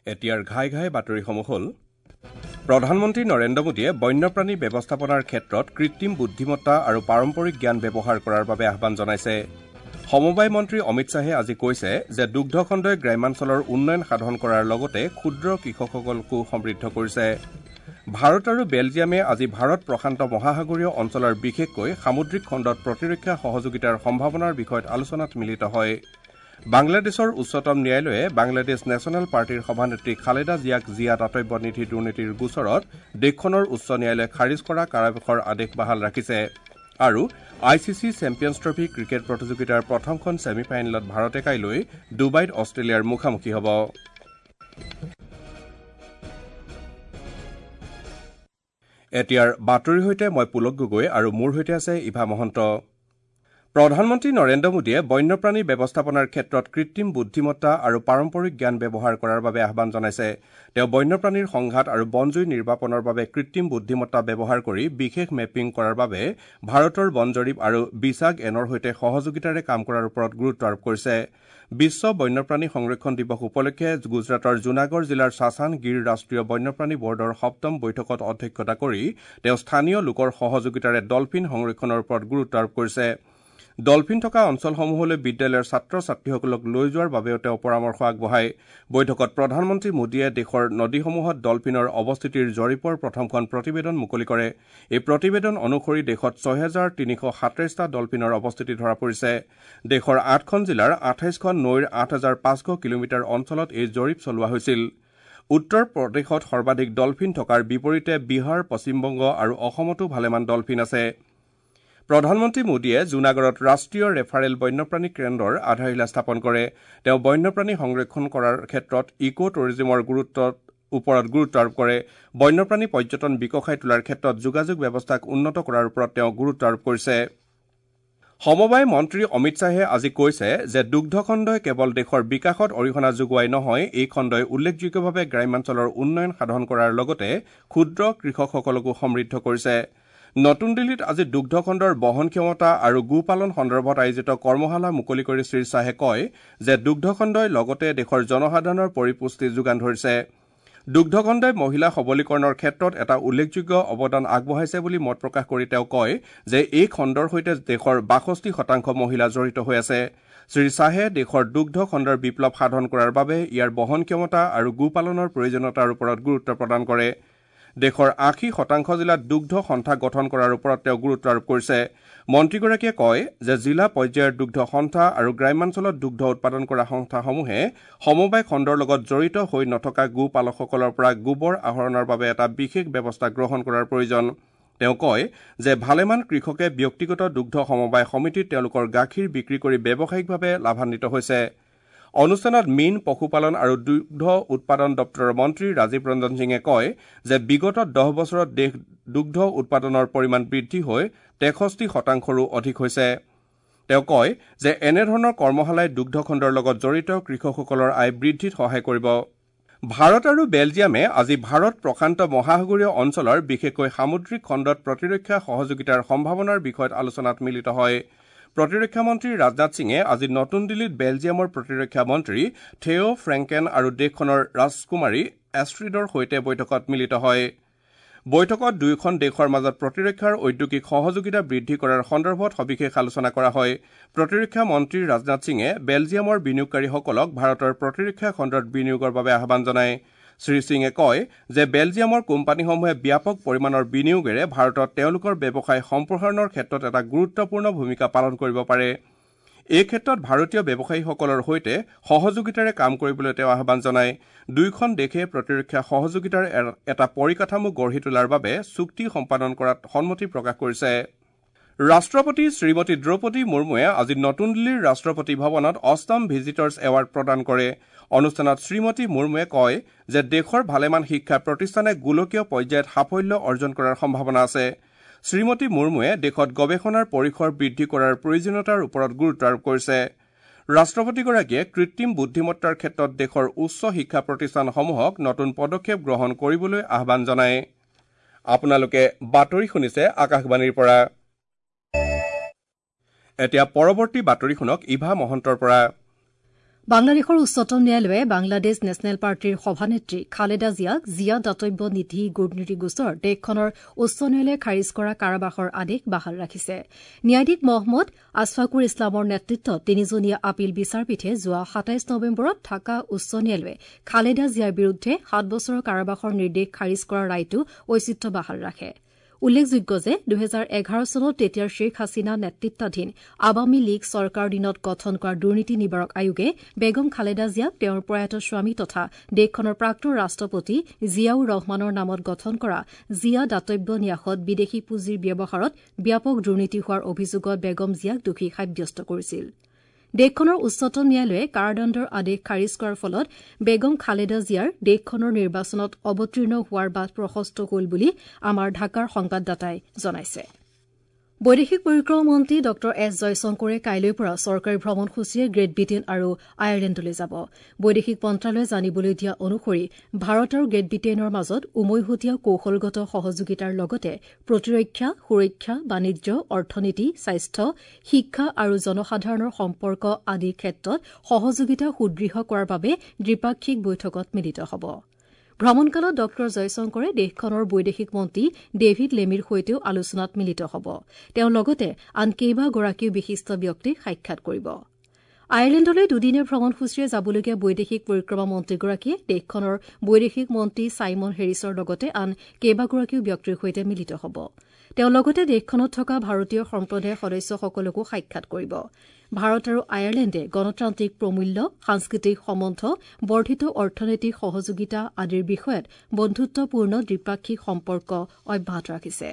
এতিয়াৰ ঘাই ঘাই বাতৰিসমূহ হ'ল: প্ৰধানমন্ত্ৰী নৰেন্দ্ৰ মোদীয়ে বন্যপ্ৰাণী ব্যৱস্থাপনাৰ ক্ষেত্ৰত কৃত্ৰিম বুদ্ধিমত্তা আৰু পাৰম্পৰিক জ্ঞান ব্যৱহাৰ কৰাৰ বাবে আহ্বান জনাইছে। সমবায় মন্ত্ৰী অমিত শ্বাহে আজি কৈছে যে দুগ্ধ খণ্ডই গ্ৰাম্যাঞ্চলৰ উন্নয়ন সাধন কৰাৰ লগতে ক্ষুদ্ৰ কৃষকসকলকো সমৃদ্ধ কৰিছে। ভাৰত আৰু বেলজিয়ামে আজি ভাৰত প্ৰশান্ত মহাসাগৰীয় অঞ্চলৰ বিশেষকৈ সামুদ্ৰিক খণ্ডত প্ৰতিৰক্ষা সহযোগিতাৰ সম্ভাৱনাৰ বিষয়ত আলোচনাত মিলিত হয়। বাংলাদেশৰ উচ্চতম ন্যায়ালয়ে বাংলাদেশ নেশ্যনেল পাৰ্টীৰ সভানেত্ৰী খালেদা জিয়াক জিয়া দাতব্য নিধি দুৰ্নীতিৰ গোচৰত দেশখনৰ উচ্চ ন্যায়ালয়ে খাৰিজ কৰা কাৰাবাসৰ আদেশ বাহাল ৰাখিছে। আৰু I C C Champions Trophy cricket প্ৰতিযোগিতাৰ প্ৰথমখন ছেমি ফাইনেলত ভাৰতে কাইলৈ ডুবাইত অষ্ট্ৰেলিয়াৰ মুখামুখি হ'ব। এতিয়াৰ বাতৰিৰ সৈতে মই পুলক গগৈ আৰু মোৰ সৈতে আছে ইভা মহন্ত। প্ৰধানমন্ত্ৰী নৰেন্দ্ৰ মোদীয়ে বন্যপ্ৰাণী ব্যৱস্থাপনাৰ ক্ষেত্ৰত কৃত্ৰিম বুদ্ধিমত্তা আৰু পাৰম্পৰিক জ্ঞান ব্যৱহাৰ কৰাৰ বাবে আহ্বান জনাইছে। তেওঁ বন্যপ্ৰাণীৰ সংঘাত আৰু বনজুই নিৰ্বাপনৰ বাবে কৃত্ৰিম বুদ্ধিমত্তা ব্যৱহাৰ কৰি বিশেষ মেপিং কৰাৰ বাবে ভাৰতৰ বন জৰীপ আৰু বিছাগ এনৰ সৈতে সহযোগিতাৰে কাম কৰাৰ ওপৰত গুৰুত্ব আৰোপ কৰিছে। বিশ্ব বন্যপ্ৰাণী সংৰক্ষণ দিৱস উপলক্ষে গুজৰাটৰ জুনাগড় জিলাৰ চাচান গিৰ ৰাষ্ট্ৰীয় বন্যপ্ৰাণী বৰ্ডৰ সপ্তম বৈঠকত অধ্যক্ষতা কৰি তেওঁ স্থানীয় লোকৰ সহযোগিতাৰে ডলফিন সংৰক্ষণৰ ওপৰত গুৰুত্ব আৰোপ কৰিছে। ডলফিন থকা অঞ্চলসমূহলৈ বিদ্যালয়ৰ ছাত্ৰ ছাত্ৰীসকলক লৈ যোৱাৰ বাবেও তেওঁ পৰামৰ্শ আগবঢ়ায়। বৈঠকত প্ৰধানমন্ত্ৰী মোদীয়ে দেশৰ নদীসমূহত ডলফিনৰ অৱস্থিতিৰ জৰীপৰ প্ৰথমখন প্ৰতিবেদন মুকলি কৰে। এই প্ৰতিবেদন অনুসৰি দেশত ৬৩৩৭টা ডলফিনৰ অৱস্থিতি ধৰা পৰিছে। দেশৰ ৮খন জিলাৰ ২৮খন নৈৰ ৮৫০০ কিলোমিটাৰ অঞ্চলত এই জৰীপ চলোৱা হৈছিল। উত্তৰ প্ৰদেশত সৰ্বাধিক ডলফিন থকাৰ বিপৰীতে বিহাৰ, পশ্চিমবংগ আৰু অসমতো ভালেমান ডলফিন আছে। প্ৰধানমন্ত্ৰী মোদীয়ে জুনাগড়ত ৰাষ্ট্ৰীয় ৰেফাৰেল বন্যপ্ৰাণী কেন্দ্ৰৰ আধাৰশিলা স্থাপন কৰে। তেওঁ বন্যপ্ৰাণী সংৰক্ষণ কৰাৰ ক্ষেত্ৰত ইক' টুৰিজিমৰ ওপৰত গুৰুত্ব আৰোপ কৰে। বন্যপ্ৰাণী পৰ্যটন বিকশাই তোলাৰ ক্ষেত্ৰত যোগাযোগ ব্যৱস্থাক উন্নত কৰাৰ ওপৰত তেওঁ গুৰুত্ব আৰোপ কৰিছে। সমবায় মন্ত্ৰী অমিত শ্বাহে আজি কৈছে যে দুগ্ধ খণ্ডই কেৱল দেশৰ বিকাশত অৰিহণা যোগোৱাই নহয়, এই খণ্ডই উল্লেখযোগ্যভাৱে গ্ৰাম্যাঞ্চলৰ উন্নয়ন সাধন কৰাৰ লগতে ক্ষুদ্ৰ কৃষকসকলকো সমৃদ্ধ কৰিছে। নতুন দিল্লীত আজি দুগ্ধ খণ্ডৰ বহন ক্ষমতা আৰু গোপালন সন্দৰ্ভত আয়োজিত কৰ্মশালা মুকলি কৰি শ্ৰী শ্বাহে কয় যে দুগ্ধ খণ্ডই লগতে দেশৰ জনসাধাৰণৰ পৰিপুষ্টি যোগান ধৰিছে। দুগ্ধ খণ্ডই মহিলা সবলীকৰণৰ ক্ষেত্ৰত এটা উল্লেখযোগ্য অৱদান আগবঢ়াইছে বুলি মত প্ৰকাশ কৰি তেওঁ কয় যে এই খণ্ডৰ সৈতে দেশৰ ৬২% মহিলা জড়িত হৈ আছে। শ্ৰী শ্বাহে দেশৰ দুগ্ধ খণ্ডৰ বিপ্লৱ সাধন কৰাৰ বাবে ইয়াৰ বহন ক্ষমতা আৰু গোপালনৰ প্ৰয়োজনীয়তাৰ ওপৰত গুৰুত্ব প্ৰদান কৰে। দেশৰ ৮০% জিলাত দুগ্ধ সন্থা গঠন কৰাৰ ওপৰত তেওঁ গুৰুত্ব আৰোপ কৰিছে। মন্ত্ৰীগৰাকীয়ে কয় যে জিলা পৰ্যায়ৰ দুগ্ধ সন্থা আৰু গ্ৰাম্যাঞ্চলত দুগ্ধ উৎপাদন কৰা সংস্থাসমূহে সমবায় খণ্ডৰ লগত জড়িত হৈ নথকা গোপালকসকলৰ পৰা গোবৰ আহৰণৰ বাবে এটা বিশেষ ব্যৱস্থা গ্ৰহণ কৰাৰ প্ৰয়োজন। তেওঁ কয় যে ভালেমান কৃষকে ব্যক্তিগত দুগ্ধ সমবায় সমিতিত তেওঁলোকৰ গাখীৰ বিক্ৰী কৰি ব্যৱসায়িকভাৱে লাভান্বিত হৈছে। অনুষ্ঠানত মীন, পশুপালন আৰু দুগ্ধ উৎপাদন দপ্তৰৰ মন্ত্ৰী ৰাজীৱ ৰঞ্জন সিঙে কয় যে বিগত ১০ বছৰত দেশ দুগ্ধ উৎপাদনৰ পৰিমাণ বৃদ্ধি হৈ ৬৩%ৰো অধিক হৈছে। তেওঁ কয় যে এনেধৰণৰ কৰ্মশালাই দুগ্ধ খণ্ডৰ লগত জড়িত কৃষকসকলৰ আয় বৃদ্ধিত সহায় কৰিব। ভাৰত আৰু বেলজিয়ামে আজি ভাৰত প্ৰশান্ত মহাসাগৰীয় অঞ্চলৰ বিশেষকৈ সামুদ্ৰিক খণ্ডত প্ৰতিৰক্ষা সহযোগিতাৰ সম্ভাৱনাৰ বিষয়ত আলোচনাত মিলিত হয়। প্ৰতিৰক্ষা মন্ত্ৰী ৰাজনাথ সিঙে আজি নতুন দিল্লীত বেলজিয়ামৰ প্ৰতিৰক্ষা মন্ত্ৰী থেঅ' ফ্ৰেংকেন আৰু দেশখনৰ ৰাজকুমাৰী এষ্ট্ৰিডৰ সৈতে বৈঠকত মিলিত হয়। বৈঠকত দুয়োখন দেশৰ মাজত প্ৰতিৰক্ষাৰ ঔদ্যোগিক সহযোগিতা বৃদ্ধি কৰাৰ সন্দৰ্ভত সবিশেষ আলোচনা কৰা হয়। প্ৰতিৰক্ষা মন্ত্ৰী ৰাজনাথ সিঙে বেলজিয়ামৰ বিনিয়োগকাৰীসকলক ভাৰতৰ প্ৰতিৰক্ষা খণ্ডত বিনিয়োগৰ বাবে আহ্বান জনায়। শ্ৰী সিঙে কয় যে বেলজিয়ামৰ কোম্পানীসমূহে ব্যাপক পৰিমাণৰ বিনিয়োগেৰে ভাৰতত তেওঁলোকৰ ব্যৱসায় সম্প্ৰসাৰণৰ ক্ষেত্ৰত এটা গুৰুত্বপূৰ্ণ ভূমিকা পালন কৰিব পাৰে। এই ক্ষেত্ৰত ভাৰতীয় ব্যৱসায়ীসকলৰ সৈতে সহযোগিতাৰে কাম কৰিবলৈ তেওঁ আহ্বান জনায়। দুয়োখন দেশে প্ৰতিৰক্ষা সহযোগিতাৰ এটা পৰিকাঠামো গঢ়ি তোলাৰ বাবে চুক্তি সম্পাদন কৰাত সন্মতি প্ৰকাশ কৰিছে। ৰাষ্ট্ৰপতি শ্ৰীমতী দ্ৰৌপদী মুৰ্মুৱে আজি নতুন দিল্লীৰ ৰাষ্ট্ৰপতি ভৱনত অষ্টম ভিজিটৰ্ছ এৱাৰ্ড প্ৰদান কৰে। অনুষ্ঠানত শ্ৰীমতী মুৰ্মুৱে কয় যে দেশৰ ভালেমান শিক্ষা প্ৰতিষ্ঠানে গোলকীয় পৰ্যায়ত সাফল্য অৰ্জন কৰাৰ সম্ভাৱনা আছে। শ্ৰীমতী মুৰ্মুৱে দেশত গৱেষণাৰ পৰিসৰ বৃদ্ধি কৰাৰ প্ৰয়োজনীয়তাৰ ওপৰত গুৰুত্ব আৰোপ কৰিছে। ৰাষ্ট্ৰপতিগৰাকীয়ে কৃত্ৰিম বুদ্ধিমত্তাৰ ক্ষেত্ৰত দেশৰ উচ্চ শিক্ষা প্ৰতিষ্ঠানসমূহক নতুন পদক্ষেপ গ্ৰহণ কৰিবলৈ আহ্বান জনায়। আপোনালোকে বাতৰি শুনিছে আকাশবাণীৰ পৰা। এতিয়া পৰৱৰ্তী বাতৰি শুনক ইভা মহন্তৰ পৰা। বাংলাদেশৰ উচ্চতম ন্যায়ালয়ে বাংলাদেশ নেশ্যনেল পাৰ্টীৰ সভানেত্ৰী খালেদা জিয়াক জিয়া দাতব্য নিধি দুৰ্নীতি গোচৰ দেশখনৰ উচ্চ ন্যায়ালয়ে খাৰিজ কৰা কাৰাবাসৰ আদেশ বাহাল ৰাখিছে। ন্যায়াধীশ মহম্মদ আছফাকুৰ ইছলামৰ নেতৃত্বত তিনিজনীয়া আপিল বিচাৰপীঠে যোৱা ২৭ নৱেম্বৰত ঢাকা উচ্চ ন্যায়ালয়ে খালেদা জিয়াৰ বিৰুদ্ধে ৭ বছৰৰ কাৰাবাসৰ নিৰ্দেশ খাৰিজ কৰা ৰায়টো ঐচিত্য বাহাল ৰাখে। উল্লেখযোগ্য যে ২০১১ চনত তেতিয়াৰ শ্বেখ হাছিনা নেতৃত্বাধীন আৱামী লীগ চৰকাৰৰ দিনত গঠন কৰা দুৰ্নীতি নিবাৰক আয়োগে বেগম খালেদা জিয়াক তেওঁৰ প্ৰয়াত স্বামী তথা দেশখনৰ প্ৰাক্তন ৰাষ্ট্ৰপতি জিয়াউৰ ৰহমানৰ নামত গঠন কৰা জিয়া দাতব্য ন্যাসত বিদেশী পুঁজিৰ ব্যৱহাৰত ব্যাপক দুৰ্নীতি হোৱাৰ অভিযোগত বেগম জিয়াক দোষী সাব্যস্ত কৰিছিল। দেশখনৰ উচ্চতম ন্যায়ালয়ে কাৰাদণ্ডৰ আদেশ খাৰিজ কৰাৰ ফলত বেগম খালেদা জিয়াৰ দেশখনৰ নিৰ্বাচনত অৱতীৰ্ণ হোৱাৰ বাট প্ৰশস্ত হ'ল বুলি আমাৰ ঢাকাৰ সংবাদদাতাই জনাইছে। বৈদেশিক পৰিক্ৰমা মন্ত্ৰী ডঃ এছ জয়শংকৰে কাইলৈৰ পৰা চৰকাৰী ভ্ৰমণসূচীৰে গ্ৰেট ব্ৰিটেইন আৰু আয়াৰলেণ্ডলৈ যাব। বৈদেশিক মন্ত্ৰালয়ে জানিবলৈ দিয়া অনুসৰি ভাৰত আৰু গ্ৰেট ব্ৰিটেইনৰ মাজত উমৈহতীয়া কৌশলগত সহযোগিতাৰ লগতে প্ৰতিৰক্ষা, সুৰক্ষা, বাণিজ্য, অৰ্থনীতি, স্বাস্থ্য, শিক্ষা আৰু জনসাধাৰণৰ সম্পৰ্ক আদি ক্ষেত্ৰত সহযোগিতা সুদৃঢ় কৰাৰ বাবে দ্বিপাক্ষিক বৈঠকত মিলিত হ'ব। ভ্ৰমণকালত ডঃ জয়শংকৰে দেশখনৰ বৈদেশিক মন্ত্ৰী ডেভিড লেমিৰ সৈতেও আলোচনাত মিলিত হ'ব। তেওঁ লগতে আন কেইবাগৰাকীও বিশিষ্ট ব্যক্তিক সাক্ষাৎ কৰিব। আয়াৰলেণ্ডলৈ দুদিনীয়া ভ্ৰমণসূচীৰে যাবলগীয়া বৈদেশিক পৰিক্ৰমা মন্ত্ৰীগৰাকীয়ে দেশখনৰ বৈদেশিক মন্ত্ৰী ছাইমন হেৰিছৰ লগতে আন কেইবাগৰাকীও ব্যক্তিৰ সৈতে মিলিত হ'ব। তেওঁ লগতে দেশখনত থকা ভাৰতীয় সম্প্ৰদায়ৰ সদস্যসকলকো সাক্ষাৎ কৰিব। ভাৰত আৰু আয়াৰলেণ্ডে গণতান্ত্ৰিক প্ৰমূল্য, সাংস্কৃতিক সম্বন্ধ, বৰ্ধিত অৰ্থনৈতিক সহযোগিতা আদিৰ বিষয়ত বন্ধুত্বপূৰ্ণ দ্বিপাক্ষিক সম্পৰ্ক অব্যাহত ৰাখিছে।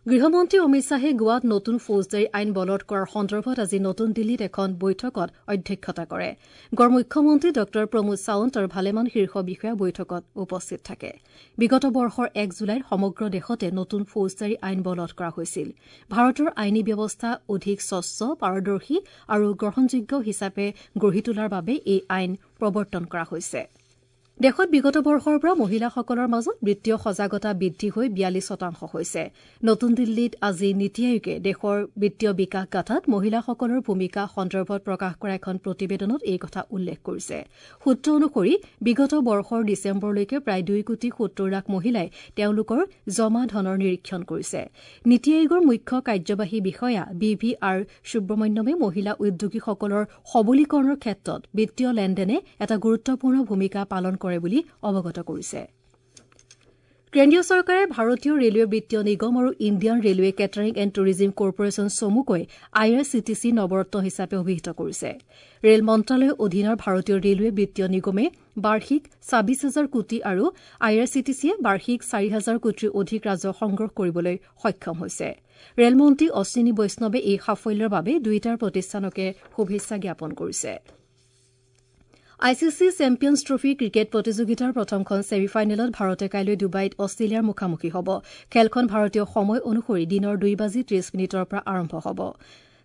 গৃহমন্ত্ৰী অমিত শ্বাহে গোৱাত নতুন ফৌজদাৰী আইন বলবৎ কৰাৰ সন্দৰ্ভত আজি নতুন দিল্লীত এখন বৈঠকত অধ্যক্ষতা কৰে। গোৱাৰ মুখ্যমন্ত্ৰী ডঃ প্ৰমোদ সাৱন্ত আৰু ভালেমান শীৰ্ষ বিষয়া বৈঠকত উপস্থিত থাকে। বিগত বৰ্ষৰ ১ জুলাইত সমগ্ৰ দেশতে নতুন ফৌজদাৰী আইন বলবৎ কৰা হৈছিল। ভাৰতৰ আইনী ব্যৱস্থা অধিক স্বচ্ছ, পাৰদৰ্শী আৰু গ্ৰহণযোগ্য হিচাপে গঢ়ি তোলাৰ বাবে এই আইন প্ৰৱৰ্তন কৰা হৈছে। দেশত বিগত বৰ্ষৰ পৰা মহিলাসকলৰ মাজত বিত্তীয় সজাগতা বৃদ্ধি হৈ ৪২% হৈছে। নতুন দিল্লীত আজি নীতি আয়োগে দেশৰ বিত্তীয় বিকাশ গাঁথাত মহিলাসকলৰ ভূমিকা সন্দৰ্ভত প্ৰকাশ কৰা এখন প্ৰতিবেদনত এই কথা উল্লেখ কৰিছে। সূত্ৰ অনুসৰি বিগত বৰ্ষৰ ডিচেম্বৰলৈকে প্ৰায় ২ কোটি ৭০ লাখ মহিলাই তেওঁলোকৰ জমা ধনৰ নিৰীক্ষণ কৰিছে। নীতি আয়োগৰ মুখ্য কাৰ্যবাহী বিষয়া বি ভি আৰ সুব্ৰমণ্যমে মহিলা উদ্যোগীসকলৰ সবলীকৰণৰ ক্ষেত্ৰত বিত্তীয় লেনদেনে এটা গুৰুত্বপূৰ্ণ ভূমিকা পালন কৰে বুলি অৱগত কৰিছে। কেন্দ্ৰীয় চৰকাৰে ভাৰতীয় ৰেলৱে বিত্তীয় নিগম আৰু Indian railway catering and tourism corporation চমুকৈ I R C T C Navratna হিচাপে অভিহিত কৰিছে। ৰেল মন্ত্ৰালয়ৰ অধীনৰ ভাৰতীয় ৰেলৱে বিত্তীয় নিগমে বাৰ্ষিক ২৬ হাজাৰ কোটি আৰু I R C T চিয়ে বাৰ্ষিক ৪ হাজাৰ কোটিৰ অধিক ৰাজহ সংগ্ৰহ কৰিবলৈ সক্ষম হৈছে। ৰেলমন্ত্ৰী অশ্বিনী বৈষ্ণৱে এই সাফল্যৰ বাবে দুয়োটা প্ৰতিষ্ঠানকে শুভেচ্ছা জ্ঞাপন কৰিছে। I C C champions trophy cricket প্ৰতিযোগিতাৰ প্ৰথমখন ছেমি ফাইনেলত ভাৰতে কাইলৈ ডুবাইত অষ্ট্ৰেলিয়াৰ মুখামুখি হ'ব। খেলখন ভাৰতীয় সময় অনুসৰি দিনৰ ২:৩০ পৰা আৰম্ভ হ'ব।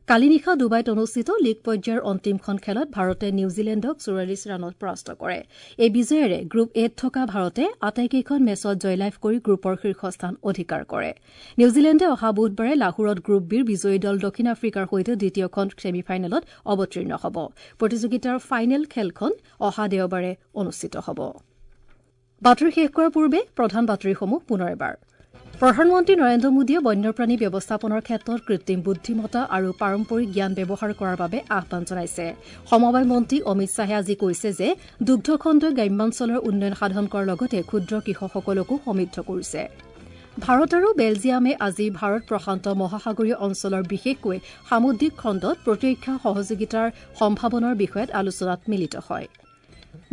কালি নিশা ডুবাইত অনুষ্ঠিত লীগ পৰ্যায়ৰ অন্তিমখন খেলত ভাৰতে নিউজিলেণ্ডক ৪৪ ৰানত পৰাস্ত কৰে। এই বিজয়েৰে গ্ৰুপ এত থকা ভাৰতে আটাইকেইখন মেচত জয়লাভ কৰি গ্ৰুপৰ শীৰ্ষস্থান অধিকাৰ কৰে। নিউজিলেণ্ডে অহা বুধবাৰে লাহোৰত গ্ৰুপ বিৰ বিজয়ী দল দক্ষিণ আফ্ৰিকাৰ সৈতে দ্বিতীয়খন ছেমি ফাইনেলত অৱতীৰ্ণ হ'ব। প্ৰতিযোগিতাৰ ফাইনেল খেলখন অহা দেওবাৰে অনুষ্ঠিত হ'ব। বাতৰি শেষ কৰাৰ পূৰ্বে প্ৰধান বাতৰিসমূহ পুনৰ এবাৰ। প্ৰধানমন্ত্ৰী নৰেন্দ্ৰ মোদীয়ে বন্যপ্ৰাণী ব্যৱস্থাপনাৰ ক্ষেত্ৰত কৃত্ৰিম বুদ্ধিমত্তা আৰু পাৰম্পৰিক জ্ঞান ব্যৱহাৰ কৰাৰ বাবে আহ্বান জনাইছে। সমবায় মন্ত্ৰী অমিত শ্বাহে আজি কৈছে যে দুগ্ধ খণ্ডই গ্ৰাম্যাঞ্চলৰ উন্নয়ন সাধন কৰাৰ লগতে ক্ষুদ্ৰ কৃষকসকলকো সমৃদ্ধ কৰিছে। ভাৰত আৰু বেলজিয়ামে আজি ভাৰত প্ৰশান্ত মহাসাগৰীয় অঞ্চলৰ বিশেষকৈ সামুদ্ৰিক খণ্ডত প্ৰতিৰক্ষা সহযোগিতাৰ সম্ভাৱনাৰ বিষয়ত আলোচনাত মিলিত হয়।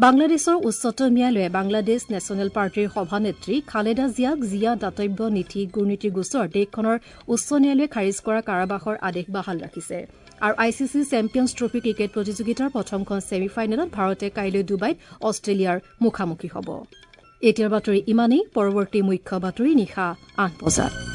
বাংলাদেশৰ উচ্চতম ন্যায়ালয়ে বাংলাদেশ নেশ্যনেল পাৰ্টীৰ সভানেত্ৰী খালেদা জিয়াক জিয়া দাতব্য নীতি দুৰ্নীতি গোচৰ দেশখনৰ উচ্চ ন্যায়ালয়ে খাৰিজ কৰা কাৰাবাসৰ আদেশ বাহাল ৰাখিছে। আৰু I C C champions trophy cricket প্ৰতিযোগিতাৰ প্ৰথমখন ছেমি ফাইনেলত ভাৰতে কাইলৈ ডুবাইত অষ্ট্ৰেলিয়াৰ মুখামুখি হ'ব। এতিয়াৰ বাতৰি ইমানেই। পৰৱৰ্তী মুখ্য বাতৰি নিশা ৮ বজাত।